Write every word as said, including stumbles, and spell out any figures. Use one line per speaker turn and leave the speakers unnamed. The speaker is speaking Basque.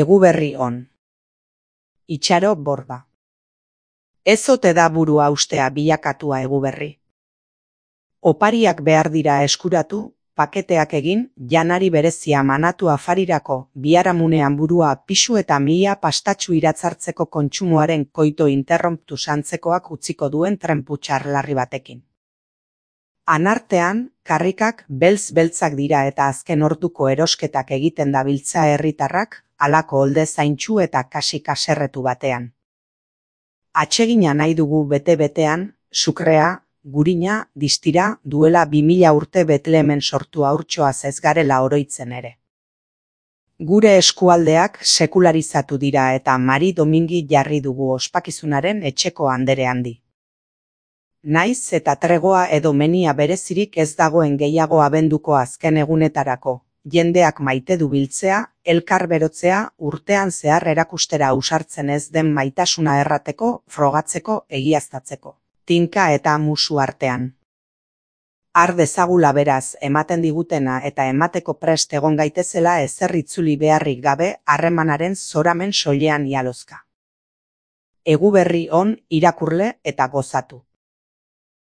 Eguberri on. Itxaro borba. Ez ote da burua ustea bilakatua eguberri. Opariak behar dira eskuratu, paketeak egin, janari berezia manatu afarirako, biharamunean burua pisu eta mila pastatxu iratzartzeko kontsumoaren koito interromptu santzekoak utziko duen trenputxar larri batekin. Anartean, karrikak beltz-beltzak dira eta azken orduko erosketak egiten dabiltza herritarrak, halako olde zaintxu eta kasi kaserretu batean. Atsegina nahi dugu bete-betean, sukrea, gurina, distira, duela bi mila urte Betlehemen sortu haurtxoaz ez garela oroitzen ere. Gure eskualdeak sekularizatu dira eta Mari Domingi jarri dugu ospakizunaren etxeko andere handi. Naiz eta tregoa edo menia berezirik ez dagoen gehiago abenduko azken egunetarako, jendeak maite du biltzea, elkar berotzea, urtean zehar erakustera ausartzen ez den maitasuna errateko, frogatzeko, egiaztatzeko. Tinka eta musu artean. Har dezagula beraz ematen digutena eta emateko prest egon gaitezela ezer itzuli beharrik gabe harremanaren zoramen soilean ialozka. Eguberri on irakurle eta gozatu.